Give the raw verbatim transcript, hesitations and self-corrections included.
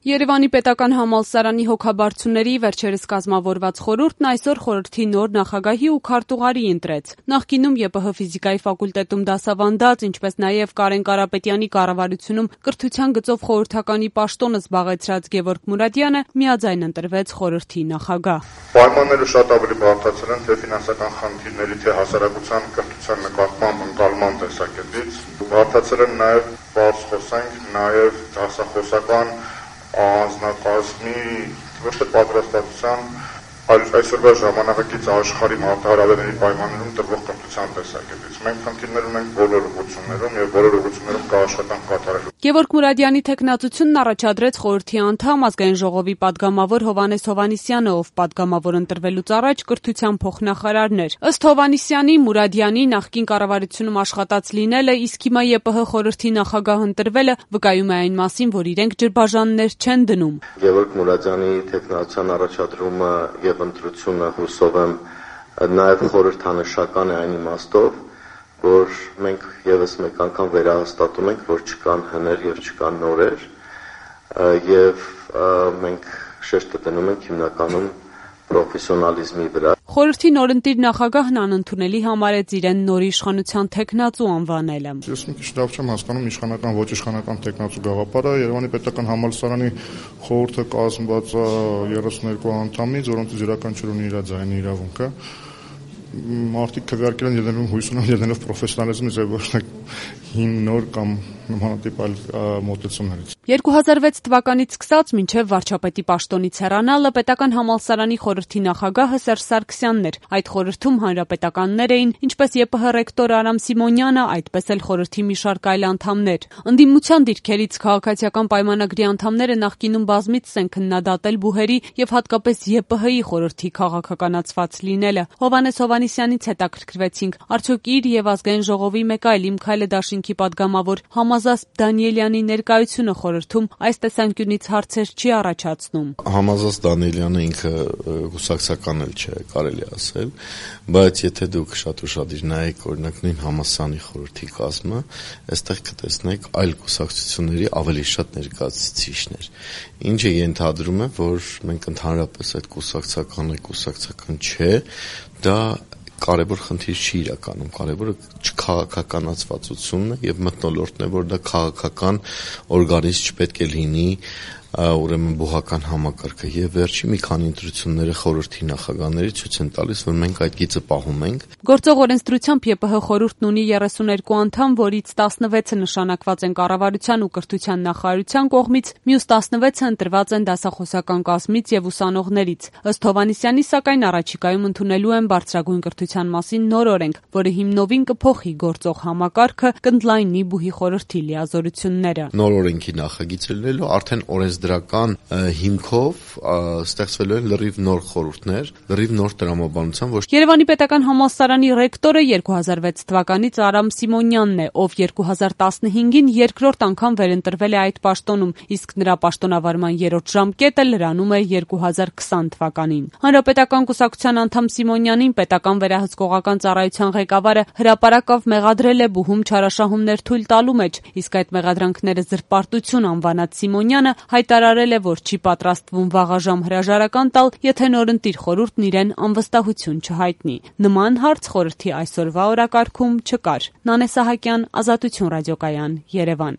Երևանի պետական համալսարանի հոգաբարձուների վերջերս կազմավորված խորհուրդն այսօր խորհրդի նոր նախագահի ու քարտուղարի ընտրեց։ Նախկինում ԵՊՀ ֆիզիկայի ֆակուլտետում դասավանդած, ինչպես նաև Կարեն Կարապետյանի կառավարությունում կրթության գծով խորհրդականի պաշտոնը զբաղեցրած Գևորգ Մուրադյանը միաձայն ընտրվեց խորհրդի նախագահ։ Պայմանները շատ ավելի բարդացել են թե ֆինանսական խնդիրների, թե հասարակության կրթության նկատմամբ ընկալման տեսակետից։ Բարդացել են նաև բարձ խոսենք, նաև դասախոսական անձնակազմի ոչ թե պատրաստվածության, այլ այսօրվա ժամանակակից աշխարհի մարտահրավերների պայմաններում տրվող կրթության տեսակետից։ Մենք խնդիրներ ունենք բոլոր ուղղություններում եւ բոլոր ուղղություններում կա աշխատանք կատարելու։ Գևորգ Մուրադյանի թեկնածությունն առաջադրեց խորհրդի անդամ ազգային ժողովի падգամավոր Հովհաննես Հովհաննիսյանը, ով падգամավոր ընտրվելուց առաջ կրթության փոխնախարարն էր։ Ըստ Հովհաննիսյանի, Մուրադյանի նախկին կառավարությունում աշխատած լինելը, իսկ հիմա ԵՊՀ խորհրդի նախագահ ընտրվելը վկայում է այն մասին, որ իրենք ջրբաժաններ չեն դնում։ Գևորգ Մուրադյանի թեկնածության առաջադրումը եւ ընտրությունը հուսով եմ նաեւ խորհրդանշական է այն իմաստով, որ մենք եւս մեկ անգամ վերահաստատում ենք, որ չկան հներ եւ չկան նորեր, եւ մենք շեշտը դնում ենք հիմնականում պրոֆեսիոնալիզմի վրա։ Խորհրդի նորընտիր նախագահն անընդունելի համարեց իրեն նոր իշխանության թեկնածու անվանելը։ Ես մի քիչ լավ չեմ հասկանում իշխանական ոչ իշխանական թեկնածու գաղափարը։ Երևանի պետական համալսարանի խորհուրդը կազմված է երեսունհինգ անդամից, որոնցից յուրաքանչյուրն ունի իր ձայնի իրավունքը։ Մարդիկ քվեարկել են ելնելով հույս ունեն ելնելով պրոֆեսիոնալիզմից եւ ոչ թե հին նոր կամ նմանատիպ այլ մոտեցումներից։ երկու հազար վեց թվականից սկսած մինչև վարչապետի պաշտոնից հեռանալը պետական համալսարանի խորհրդի նախագահը Սերժ Սարգսյանն էր։ Այդ խորհրդում հանրապետականներ էին, ինչպես ԵՊՀ ռեկտոր Արամ Սիմոնյանը, այդպես էլ խորհրդի մի շարք այլ անդամներ։ Ընդդիմության դիրքերից քաղաքացիական պայմանագրի անդամները նախկինում բազմիցս են քննադատել բուհերի եւ հատկապես ԵՊՀ-ի խորհրդի քաղաքականացված լինելը։ Հովհաննես Հովհաննիսյանից հետաքրքրվեցինք, արդյոք իր եւ ազգային ժողովի մեկ այլ Իմ Քայլը դաշինքի падգամավոր Համազասպ Դանիելյանի ներկայությունը խորհրդում այս տեսանկյունից հարցեր չի առաջացնում։ Համազասպ Դանիելյանը ինքը կուսակցական էլ չէ, կարելի ասել, բայց եթե դուք շատ ուշադիր նայեք, օրինակ նույն համալսարանի խորհրդի կազմը, այստեղ կտեսնեք այլ կուսակցությունների ավելի շատ ներկայացուցիչներ, ինչը ենթադրում է, որ մենք ընդհանրապես այդ կուսակցական է, կուսակցական չէ, դա կարևոր խնդիր չի իրականում, կարևորը չքաղաքականացվածությունն է եւ մթնոլորտն է, որ դա քաղաքական օրգանիզմ չպետք է լինի, ուրեմն բուհական համակարգը եւ վերջի մի քանի ընտրությունները խորհրդի նախագահների ցույց են տալիս, որ մենք այդ գիծը պահում ենք։ Գործող օրենսդրությամբ ԵՊՀ խորհուրդն ունի երեսունհինգ անդամ, որից տասնվեցը նշանակված են կառավարության ու կրթության նախարարության կողմից, մյուս տասնվեցը ընտրված են դասախոսական կազմից եւ ուսանողներից։ Ըստ Հովհաննիսյանի, սակայն առաջիկայում ընդունելու են բարձրագույն կրթության մասին նոր օրենք, որը հիմնովին կփոխի գործող համակարգը, կընդլայնի բուհի խորհրդի լիազորությունները։ Նոր օրենքի նախագիծը լինելու արդեն օրենսդրական հիմքով ստեղծվելու են լրիվ նոր խորհուրդներ, լրիվ նոր տրամաբանության ոչ։ Երևանի պետական համալսարանի ռեկտորը երկու հազար վեց թվականից Արամ Սիմոնյանն է, ով երկու հազար տասնհինգին երկրորդ անգամ վերընտրվել է այդ պաշտոնում, իսկ նրա պաշտոնավարման երրորդ ժամկետը լրանում է երկու հազար քսան թվականին։ Հանրապետական կուսակցության անդամ Սիմոնյանին պետական վերահսկողական ծառայության ղեկավարը հրապարակավ մեղադրել է բուհում չարաշահումներ թույլ տալու մեջ, իսկ այդ մեղադրանքները զրպարտություն անվանած Սիմոնյանը հայտարարել է, որ չի պատրաստվում վաղաժամ հրաժարական տալ, եթե նորընտիր խորհուրդն իրեն անվստահություն չհայտնի։ Նման հարց խորհրդի այսօրվա օրակարգում չկար։ Նանե Սահակյան, Ազատություն ռադիոկայան, Երևան։